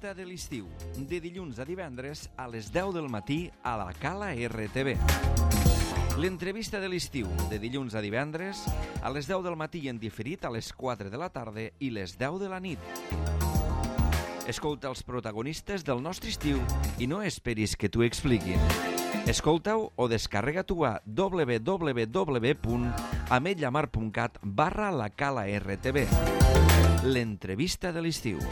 L'entrevista de l'estiu, de dilluns a divendres a les 10 del matí a la Cala RTV. L'entrevista de l'estiu, de dilluns a divendres a les 10 del matí en diferit a les 4 de la tarda i les 10 de la nit. Escolta els protagonistes del nostre estiu i no esperis que t'ho expliquin. Escolta-ho o descarrega-t'ho a www.ametlllamar.cat/la Cala RTV. L'entrevista de l'estiu.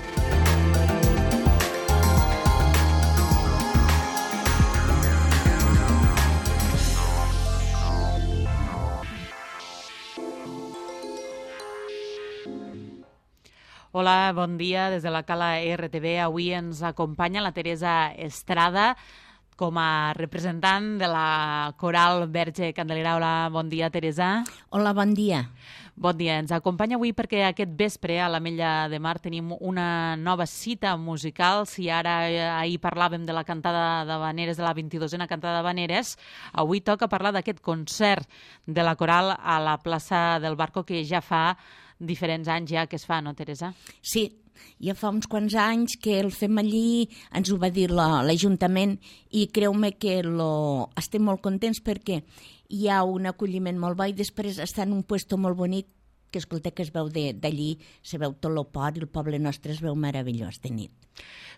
Hola, bon dia. Des de la Cala RTV avui ens acompanya la Teresa Estrada com a representant de la Coral Verge Candelera. Hola, bon dia, Teresa. Hola, bon dia. Bon dia. Ens acompanya avui perquè aquest vespre a l'Ametlla de Mar tenim una nova cita musical. Si ahir parlàvem de la cantada d'Havaneres, de la 22a cantada d'Havaneres, avui toca parlar d'aquest concert de la Coral a la plaça del Barco que ja fa diferents anys ja que es fa, no, Teresa? Sí, ja fa uns quants anys que el fem allí, ens ho va dir l'Ajuntament i creu-me que estem molt contents perquè hi ha un acolliment molt bo i després està en un puesto molt bonic que escolta que es veu d'allí, se veu tot el port i el poble nostre es veu meravellós de nit.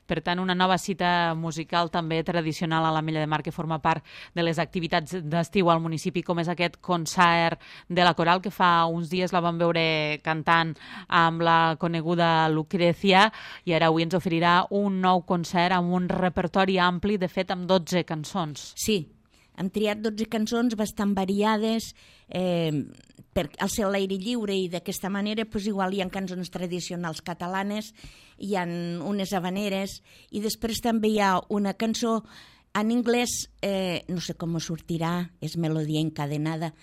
Per tant, una nova cita musical també tradicional a l'Ametlla de Mar que forma part de les activitats d'estiu al municipi, com és aquest concert de la Coral que fa uns dies la vam veure cantant amb la coneguda Lucrecia i ara avui ens oferirà un nou concert amb un repertori ampli, de fet amb 12 cançons. Sí, hem triat 12 cançons bastant variades al ser a l'aire lliure i d'aquesta manera igual hi ha cançons tradicionals catalanes, hi ha unes havaneres i després també hi ha una cançó en anglès, no sé com sortirà, és melodia encadenada,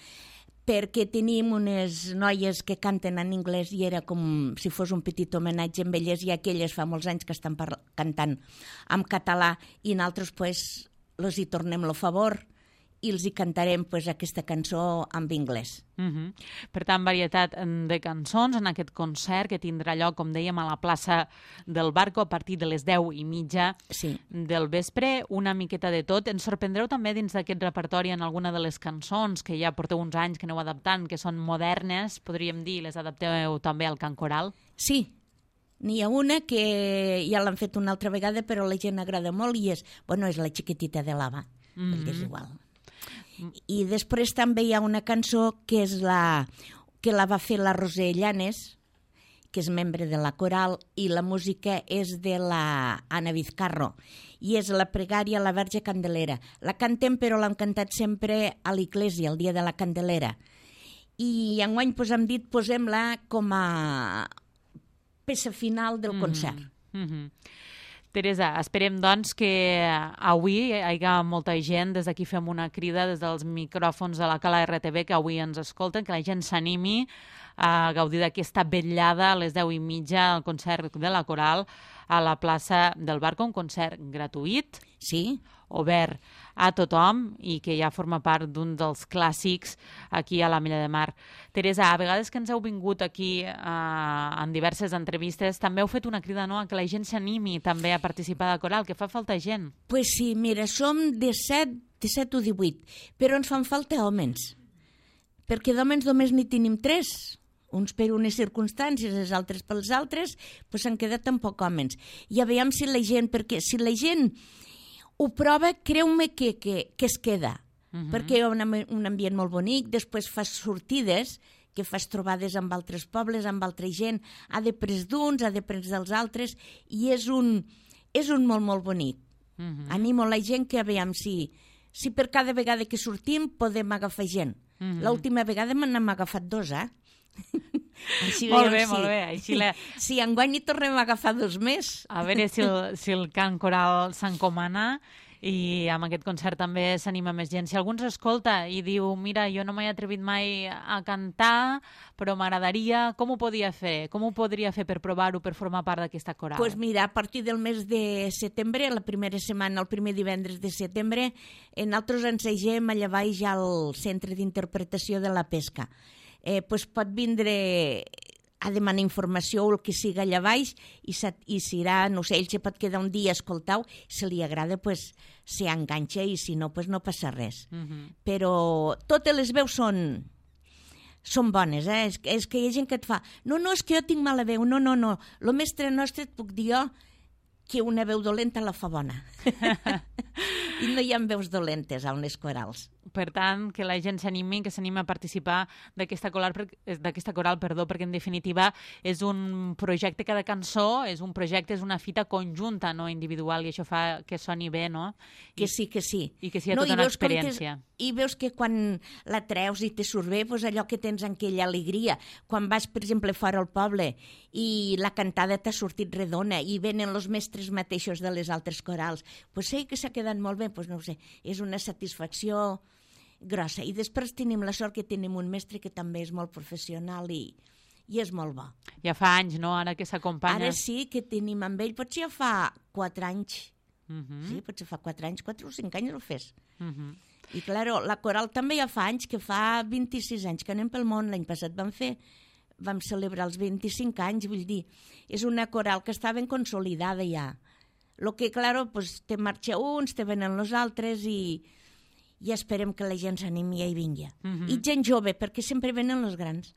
perquè tenim unes noies que canten en anglès i era com si fos un petit homenatge amb elles i aquelles fa molts anys que estan cantant en català i nosaltres els hi tornem el favor i els hi cantarem aquesta cançó en anglès. Per tant, varietat de cançons en aquest concert que tindrà lloc, com dèiem, a la plaça del Barco a partir de les 10:30 del vespre. Una miqueta de tot. Ens sorprendreu també dins d'aquest repertori en alguna de les cançons que ja porteu uns anys que aneu adaptant, que són modernes, podríem dir, les adapteu també al cant coral? Sí. N'hi ha una que ja l'han fet una altra vegada però a la gent agrada molt i és la xiquetita de l'Ava. És igual. I després també hi ha una cançó que és que la va fer la Roser Llanes, que és membre de la Coral, i la música és de la Anna Vizcarro, i és la pregària a la Verge Candelera. La cantem, però l'hem cantat sempre a l'església, el dia de la Candelera. I enguany hem dit, posem-la com a peça final del concert. Teresa, esperem doncs que avui hi hagi molta gent, des d'aquí fem una crida des dels micròfons de la Cala RTV que avui ens escolten, que la gent s'animi a gaudir d'aquesta vetllada a les 10:30 al concert de la Coral a la plaça del Barco, un concert gratuït, obert a tothom i que ja forma part d'un dels clàssics aquí a l'Ametlla de Mar. Teresa, a vegades que ens heu vingut aquí en diverses entrevistes, també heu fet una crida, no?, a que la gent s'animi també a participar de la Coral, que fa falta gent. Pues sí, mira, som 17 o 18, però ens fan falta homes, perquè d'homes només n'hi tenim 3, uns per unes circumstàncies, els altres pels altres, s'han quedat tampoc homes. I a veure si la gent, perquè si la gent ho prova, creu-me que es queda, perquè hi ha un ambient molt bonic, després fas sortides, que fas trobades amb altres pobles, amb altra gent, ha de pres d'uns, ha de pres dels altres, i és un molt, molt bonic. Animo la gent que a veure si per cada vegada que sortim podem agafar gent. L'última vegada n'hem agafat 2, Molt bé. Si enguany hi tornem a agafar 2 més. A veure si el cant coral s'encomana i amb aquest concert també s'anima més gent. Si algú ens escolta i diu, mira, jo no m'he atrevit mai a cantar, però m'agradaria, com ho podria fer? Com ho podria fer per provar-ho, per formar part d'aquesta coral? Doncs mira, a partir del mes de setembre, la primera setmana, el primer divendres de setembre, nosaltres ensegem allà baix al Centre d'Interpretació de la Pesca. Pot vindre a demanar informació o el que siga allà baix i serà, no sé, ell se pot quedar un dia a escoltar-ho, si li agrada, pues, s'hi enganxa i si no, pues, no passa res. Però totes les veus són bones, és que hi ha gent que et fa no, és que jo tinc mala veu, no, el mestre nostre et puc dir jo que una veu dolenta la fa bona. I no hi ha veus dolentes a unes corals. Per tant, que la gent s'animi, que s'animi a participar d'aquesta coral, perquè en definitiva és un projecte, cada cançó és un projecte, és una fita conjunta, no individual, i això fa que soni bé, no? Que sí. I que sigui tota una experiència. I veus que quan la treus i te surt bé, doncs allò que tens en aquella alegria. Quan vas, per exemple, fora al poble i la cantada t'ha sortit redona i venen els mestres mateixos de les altres corals, doncs sé que s'ha quedat molt bé, doncs no ho sé, és una satisfacció grossa. I després tenim la sort que tenim un mestre que també és molt professional i és molt bo. Ja fa anys, no?, ara que s'acompanya. Ara sí que tenim amb ell, potser ja fa 4 anys. Sí, potser fa 4 anys, 4 o 5 anys el fes. I, clar, la coral també ja fa anys, que fa 26 anys que anem pel món. L'any passat vam celebrar els 25 anys, vull dir, és una coral que està ben consolidada ja. El que, clar, pues, te marxa uns, te venen els altres i esperem que la gent s'animi i vingui. I gent jove, perquè sempre venen els grans.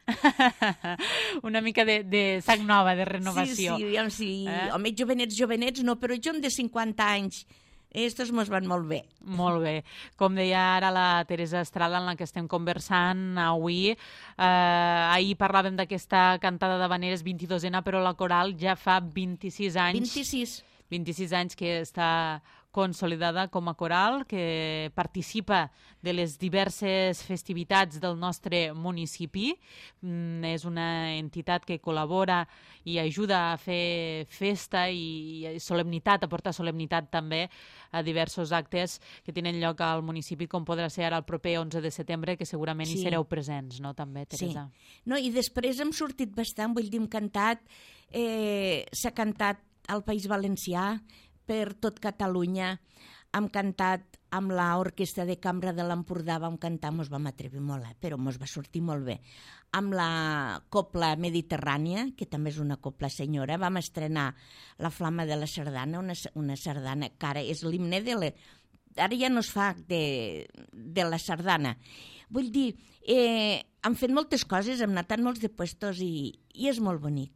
Una mica de sac nova, de renovació. Sí. Home, jovenets no, però jo de 50 anys, estos mos van molt bé. Molt bé. Com deia ara la Teresa Estrada, en la que estem conversant avui, ahir parlàvem d'aquesta cantada d'havaneres 22ena, però la coral ja fa 26 anys. 26 anys que està consolidada com a coral, que participa de les diverses festivitats del nostre municipi. És una entitat que col·labora i ajuda a fer festa i solemnitat, a portar solemnitat també a diversos actes que tenen lloc al municipi, com podrà ser ara el proper 11 de setembre, que segurament hi sereu presents, no?, també, Teresa? Sí. No, i després hem sortit bastant, vull dir, hem cantat, s'ha cantat al País Valencià, per tot Catalunya, hem cantat amb l'Orquestra de Cambra de l'Empordà, vam cantar, mos vam atrevir molt, però mos va sortir molt bé. Amb la Copla Mediterrània, que també és una copla senyora, vam estrenar La Flama de la Sardana, una sardana que ara és l'himne ara ja no es fa de la sardana. Vull dir, hem fet moltes coses, hem anat en molts de puestos i és molt bonic.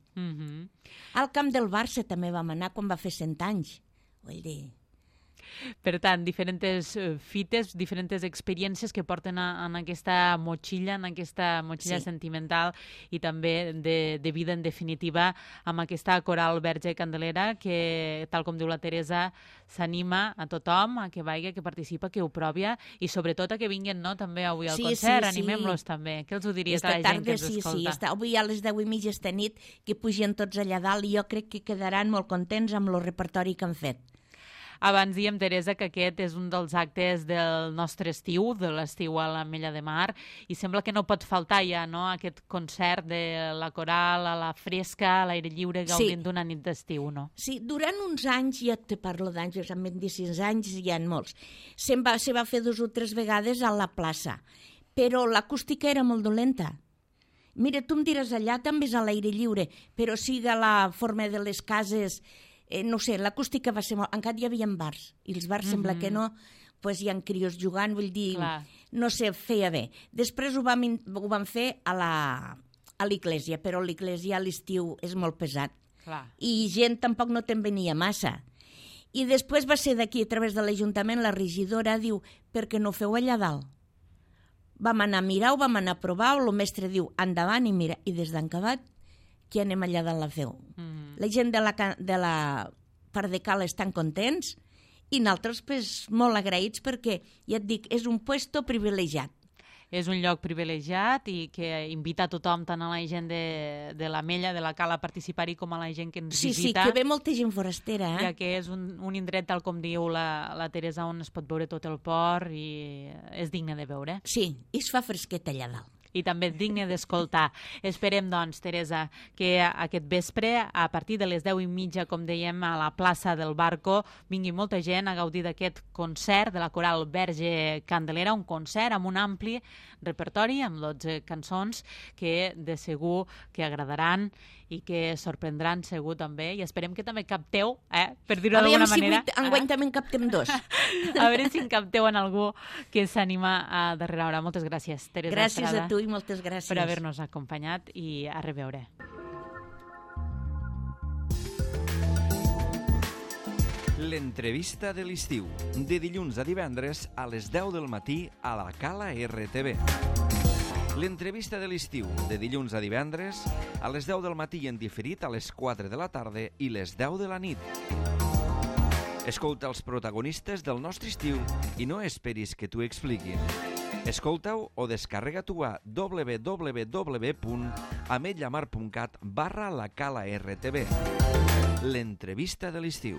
Al camp del Barça també vam anar quan va fer 100 anys. Vull dir... Per tant, diferents fites, diferents experiències que porten en aquesta motxilla, sentimental i també de vida, en definitiva, amb aquesta coral Verge Candelera que, tal com diu la Teresa, s'anima a tothom a que vagi, que participa, que ho provi i sobretot a que vinguin, no?, també avui al concert. Animem-los també. Què els ho diries a la gent que ens escolta? Sí, avui a les 10:30 esta nit que pugen tots allà dalt i jo crec que quedaran molt contents amb el repertori que han fet. Abans dèiem, Teresa, que aquest és un dels actes del nostre estiu, de l'estiu a l'Ametlla de Mar, i sembla que no pot faltar ja, no?, aquest concert de la coral a la fresca, a l'aire lliure, gaudint d'una nit d'estiu, no? Sí, durant uns anys, ja te parlo d'anys, amb 26 anys hi ha molts, se va fer 2 o 3 vegades a la plaça, però l'acústica era molt dolenta. Mira, tu em diràs, allà també és a l'aire lliure, però siga la forma de les cases... no sé, l'acústica va ser molt... Encara hi havia bars, i els bars sembla que no, doncs hi ha crios jugant, vull dir, no sé, feia bé. Després ho vam fer a l'església, però l'església a l'estiu és molt pesat. I gent tampoc no te'n venia massa. I després va ser d'aquí, a través de l'Ajuntament, la regidora diu, per què no ho feu allà dalt? Vam anar a mirar-ho, vam anar a provar-ho, el mestre diu, endavant, i mira, i des d'encabat, que anem allà dalt la feu. La gent de la part de Cala estan contents i nosaltres molt agraïts perquè, ja et dic, és un puesto privilegiat. És un lloc privilegiat i que invita a tothom, tant a la gent de l'Ametlla, de la Cala, a participar-hi, com a la gent que ens visita. Sí, que ve molta gent forastera. Ja que és un indret, tal com diu la Teresa, on es pot veure tot el port i és digne de veure. Sí, i es fa fresquet allà dalt. i també digne d'escoltar. Esperem, doncs, Teresa, que aquest vespre, a partir de les 10:30, com dèiem, a la plaça del Barco, vingui molta gent a gaudir d'aquest concert de la Coral Verge Candelera, un concert amb un ampli repertori, amb 12 cançons que de segur que agradaran i que sorprendran segur també, i esperem que també capteu, per dir-ho d'alguna manera. Aviam si enguany també en captem dos. A veure si en capteu en algú que s'anima a darrere hora. Moltes gràcies, Teresa Gràcies Estrada, a tu i moltes gràcies per haver-nos acompanyat i a reveure. L'entrevista de l'estiu, de dilluns a divendres a les 10 del matí a la Cala RTV. L'entrevista de l'estiu, de dilluns a divendres a les 10 del matí i en diferit a les 4 de la tarda i les 10 de la nit. Escolta els protagonistes del nostre estiu i no esperis que t'ho expliquin. Escolta-ho o descarrega-t'ho a www.ametlllamar.cat/la Cala RTV. L'entrevista de l'estiu.